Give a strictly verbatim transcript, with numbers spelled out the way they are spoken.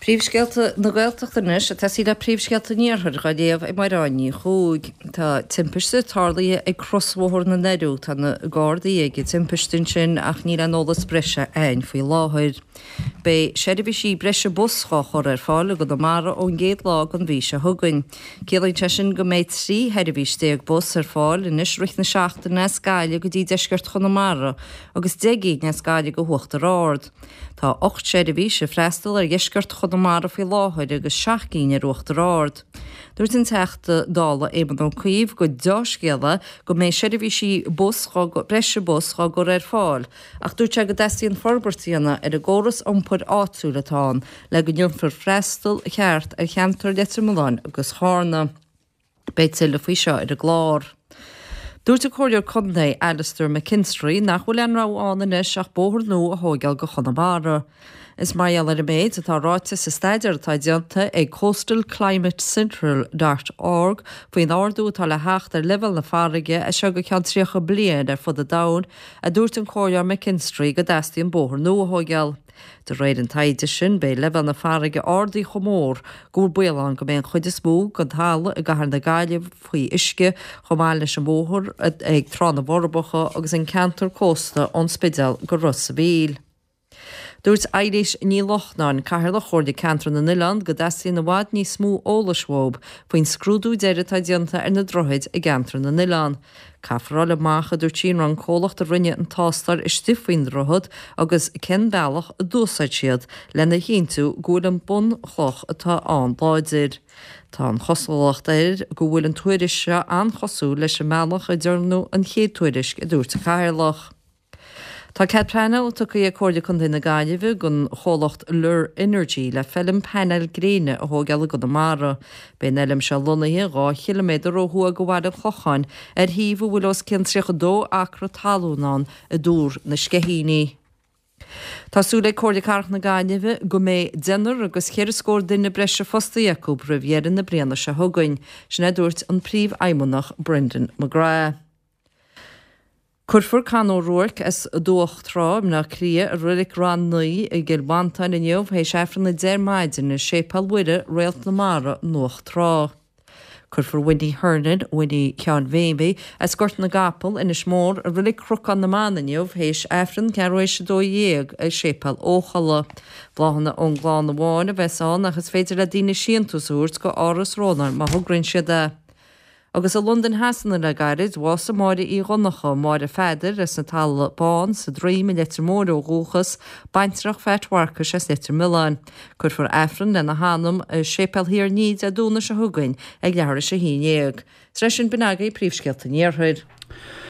Príomhscéalta na Gaeltachta anois ag tosaí le príomhscéalta an Iarthair dhá léamh ag Mairéad Ní Chuaig. Tá timpiste tarlaithe ag crosbhóthar na nDoirí. Tá na Gardaí ag an timpiste ansin ach níl aon eolas breise againn faoi láthair. Beidh seirbhísí breise bus dhá chur ar fáil i gConamara ón gcéad lá den mhí seo chugainn. Ciallaíonn sé sin go mbeidh trí sheirbhís déag bus ar fáil anois rith na seachtaine as Gaillimh go dtí deisceart Chonamara agus deich gcinn as Gaillimh go hUachtar Ard. Tá ocht seirbhís ag freastal ar dheisceart Chonamara faoi láthair agus seacht gcinn ar Uachtar Ard. Dúirt an Teachta Dála Éamon Ó Cuív gur dea-scéal é go mbeidh seirbhísí bus breise bus dhá gcur ar fáil, ach dúirt sé go dteastaíonn forbairt a dhéanamh ar an gcóras iompair áitiúil atá ann le go ndéanfar freastal ceart ar cheantar Leitir Mealláin agus Charna. Beidh tuilleadh faoi seo ar an gclár. Dúirt an Comhairleoir Contae Alastair McKinstry nach bhfuil aon rogha ann anois ach bóthar nua a thógáil go Chonamara. Is mar gheall ar an méid atá ráite sa staidéar atá déanta ag Coastal Climate Central dot org faoin ardú atá le theacht ar leibhéal na farraige as seo go ceann tríocha bliain ar fud an domhain, a dúirt an Comhairleoir McKinstry go dteastaíonn bóthar nua a thógáil. De réir an taighde sin, beidh leibhéal na farraige ardaithe chomh mór go bhfuil baol ann go mbeidh an chuid is mó den talamh i gcathair na Gaillimhe faoi uisce, chomh maith leis an bhóthar ag Trá na bhForbacha agus an ceantar cósta ón Spidéal go Ros a' Mhíl. Dúirt Eilís Ní Lochnáin, Cathaoirleach Chomhairle Ceantar na nOileán, go dteastaíonn i bhfad níos mó eolais uathu faoin scrúdú deiridh atá déanta ar na droichid i gceantar na nOileán. Caithfear a fháil amach, a dúirt sí, an raibh an comhlacht a rinne an tástáil istigh faoin droichead agus cén bealach a d'úsáid siad lena chinntiú go bhfuil an bunchloch atá ann láidir. Tá an chosúlacht air go bhfuil an tuairisc seo an-chosúil leis an mbealach a ndearnadh an chéad tuairisc, a dúirt an Cathaoirleach. Tá cead pleanála tugtha ag Comhairle Contae na Gaillimhe don chomhlacht Lir Energy le feilm painéil gréine a thógáil i gConamara. Beidh an fheilm seo lonnaithe dhá chiliméadar ó thuaidh de Bhaile an Chlocháin ar shuíomh a bhfuil os cionn tríocha dó acra talún ann i dTuar na Sceithíní. Tá súil ag Comhairle Cathrach na Gaillimhe go mbeidh deichniúr agus ceithre scór duine breise fostaithe acu roimh dheireadh na bliana seo chugainn, sin a dúirt an Príomhfheidhmeannach Brendan McGrath. Cuirfear Con O'Rourke as Dumhach Trá i mBleá Cliath i Reilig Rann Naoi i gCill Mhantáin inniu théis Aifreann a deich ar maidin i Séipéal Mhuire, Réalt na Mara, Dumhach Trá. Cuirfear Winnie Hernon, Winnie Sheáin Mhéimí, as Gort na gCapall, Inis Mór, i Reilig Chnocán na mBan inniu théis Aifreann ceathrú théis a dó dhéag i Séipéal Eochalla. Bláthanna ón gclann amháin a bheas ann ach is féidir le daoine síntiús a thabhairt go Áras Rónáin má thograíonn siad é. Agus i Londain Shasana le gairid, bhásaigh Máire Uí Dhonncha, Máire Pheadair as an Talamh Bán sa Droim i Leitir Móir ó dhúchas, baintreach Phat Mharcais as Leitir Mealláin. Cuirfear Aifreann lena hanam i Séipéal Thír an Fhia Dé Domhnaigh seo chugainn ag leathuair tar éis a haon déag. Tar éis sin b'in agaibh príomhscéalta an Iarthair.